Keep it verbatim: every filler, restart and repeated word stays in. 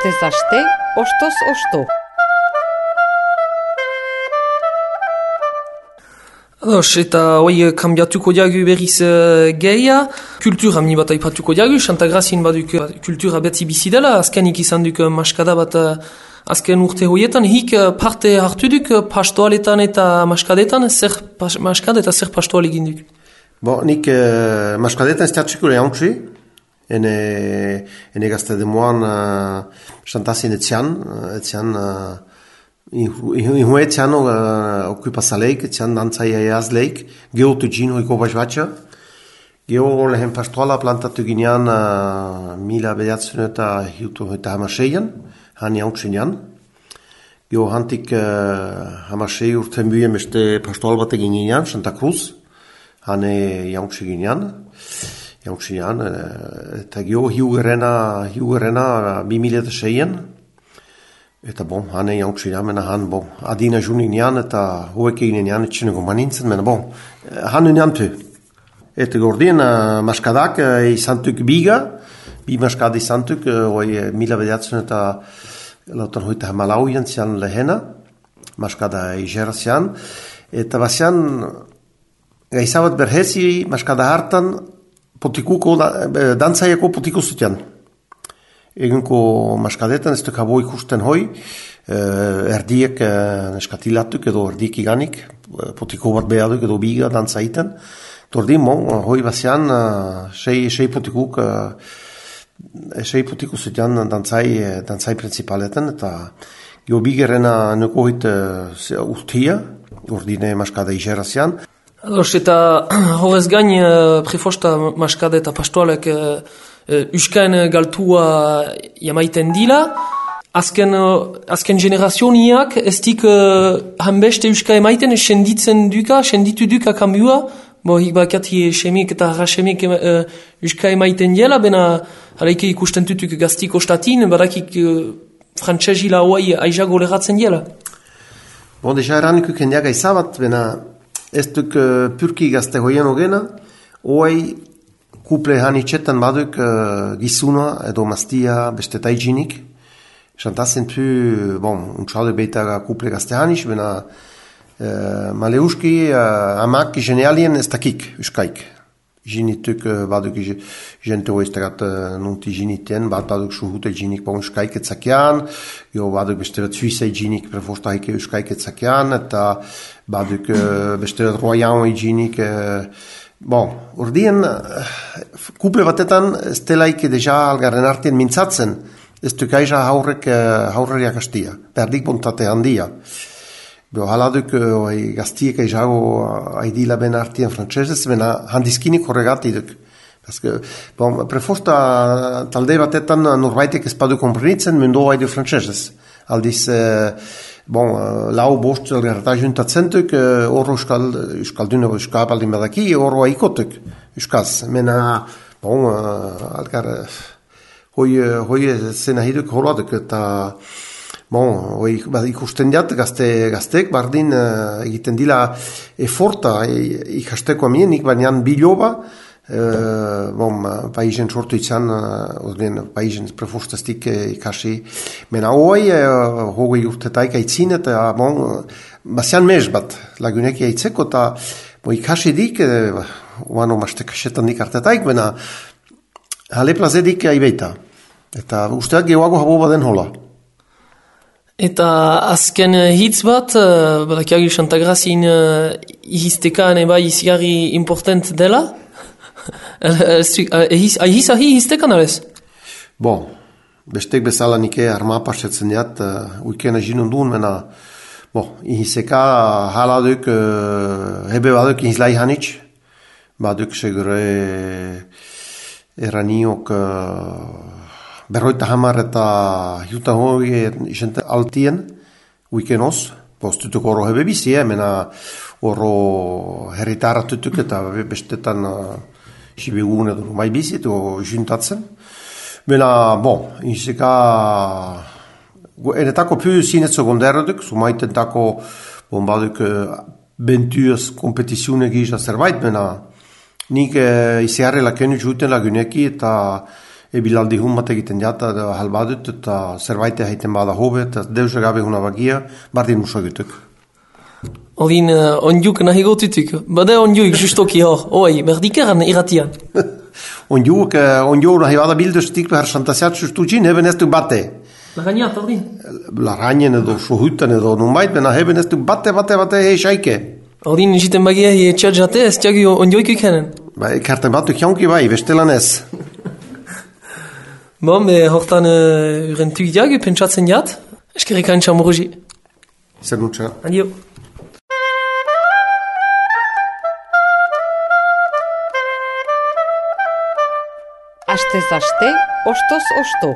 Astez aste, ostoz osto. Ados, eta hoi kambiatuko diagu berriz uh, geia. Kultura mini bat aipatuko diagu, Santa Grazien baduk uh, kultura betzi bizi dela, azkenik izan duk uh, maskada bat uh, azken urte hoietan, hik uh, parte hartu duk uh, pastoaletan eta maskadetan, zer pas, maskad eta zer pastoal egin duk? Bon, nik uh, maskadetan ez teatxiko lehantzi, ene, ene gazte demoan uh, Santazien etxean, etxean uh, Ihu etxean uh, okupazaleik, etxean dantzaia eazleik, geotu gino iko bazbatxa. Geo lehen pastoala plantatu ginean uh, mila bedatzen eta hiutu eta hamaseian, hani hautsenean. Geo hantik uh, hamasei urten buien beste pastoal bat egin ginean, Santa Cruz, hane jautsi ginean. Jautsenean, uh, eta geo hiugerena, hiugerena bi mila eta seien. Eta bon, hane jautsi mena han, bon, adina juninean eta hoek eginean etxeneko manintzen, mena bon, han uniantu. Eta gordien uh, maskadak uh, izantuk biga, bi maskada izantuk, uh, mila bedatzen eta lautan hoita hamalauien zian lehena, maskada izera zian, eta bazian gaizabat berhezi maskada hartan potikuko, dantzaiako potiko zutian. Egunko maskadetan ez duk habo ikusten hoi, eh, erdiek eh, neskatilatuk edo erdiek iganik, potiko bat behaduk edo biga dantzaiten. Tordin, bon, hoi bazian, uh, sei, sei potikuk, uh, sei potiku zutian dantzai, dantzai principaletan, eta gio bigerena nuko hit uh, urtia, urdine maskada izera zian. Ados, eta horrez gain uh, prefosta maskada eta pastoalek uh, Uh, Euskain galtua jamaiten dila. Azken, uh, azken generazioniak ez dik uh, hanbeste Euska emaiten senditzen duka, senditu duka kambua. Bo, hik bakati semik eta harrasemik uh, Euska emaiten dela, bena halaike ikusten tutuk gaztiko statin, barakik uh, frantzesila hoai aizago leratzen dela. Bon, deja eranik ukendiaga izabat, bena ez duk uh, purki gazte hoien ogena, hoai kuple hani txetan baduk uh, gizuna edo mastia beste taijinik. Xantazen pu, bon, untxalde beita kuple gazte hanis, bena uh, maleuski uh, amak genealien ez dakik, uskaik. Jinituk uh, baduk jente oiztegat uh, nunti jiniten, bat baduk suhute jinik bon uskaik etzakian, jo baduk beste bat suizei jinik prefosta haike uskaik etzakian, eta baduk uh, beste bat royan jinik uh, bon, urdien, kuple batetan ez delaik deja algarren artien mintzatzen, ez duk aiza haurrek, haurreriak astia, perdik bontate handia. Bo, haladuk oi, gaztiek aizago aidila ben artien frantzesez, bena handiskinik horregati duk. Paske, bon, prefosta talde batetan norbaitek ez padu komprenitzen mundu haidu frantzesez. Aldiz, eh, bon, lau bost elgarreta juntatzen duk, horro euskal, euskalduna euskal baldin badaki, horro haikotuk euskaz. Mena, bon, algar, hoi, hoi zena hiduk horroaduk, eta, bon, hoi ikusten diat, gazte, gaztek, bardin egiten dila eforta ikasteko amienik, baina biloba, Uh, bon, paisen sortu itzan, uh, paisen prefostastik uh, ikasi. Mena hoi, uh, hogei urtetaik aitzin, eta bon, bazian mez bat, lagunek aitzeko, eta bon, ikasi dik, uh, uano maste kasetan dik artetaik, mena hale plazedik aibeita. Eta usteak gehoago habo baden hola. Eta azken hitz bat, uh, badakiagi Santa Grazien uh, ihiztekan eba izigarri important dela? Ahiz ahi iztekan alez? Bon, bestek bezala nike arma pasetzen diat, uh, uikena jinun duen, mena, bon, ihizeka haladuk, uh, hebe baduk ihizlai hanitz, baduk segure eraniok uh, berroita hamar eta hiuta hori isente altien, uikenos, postutuk oro hebe bizi, eh, mena oro herritara tutuk eta bestetan uh, sibegun edo mai bizi edo juntatzen. Bena, bon, izeka enetako pu zinetzo gonderraduk, sumaitentako bon baduk bentuaz kompetiziune gisa zerbait, bena nik uh, iziarre lakenu juten laguneki eta ebilaldi hun bat egiten jata, da halbadut, eta zerbait egiten bada hobe, eta deus gabe huna bagia, bardin muso egituk. Ordin, uh, ondiuk nahi gotutuk. Bada ondiuk justoki hor, oi, berdikeran iratian. Ondiuk, ondiuk nahi bada bildustik behar santasiat sustucin, heben ez du bate. Lagañat, ordin. Lagañen edo, sohutan edo, numait, bena heben ez du bate, bate, bate, hei xaike. Ordin, jiten bagia hi txadjate, ez tiagi ondioik ikenen. Ba, ekarten batu kionki bai, bestelan ez. Bon, be, hortan uh, uren tugiak, pentsatzen jat, eskerrik antxa moroji. Zer nutxa. Adio. Astez aste, ostoz osto.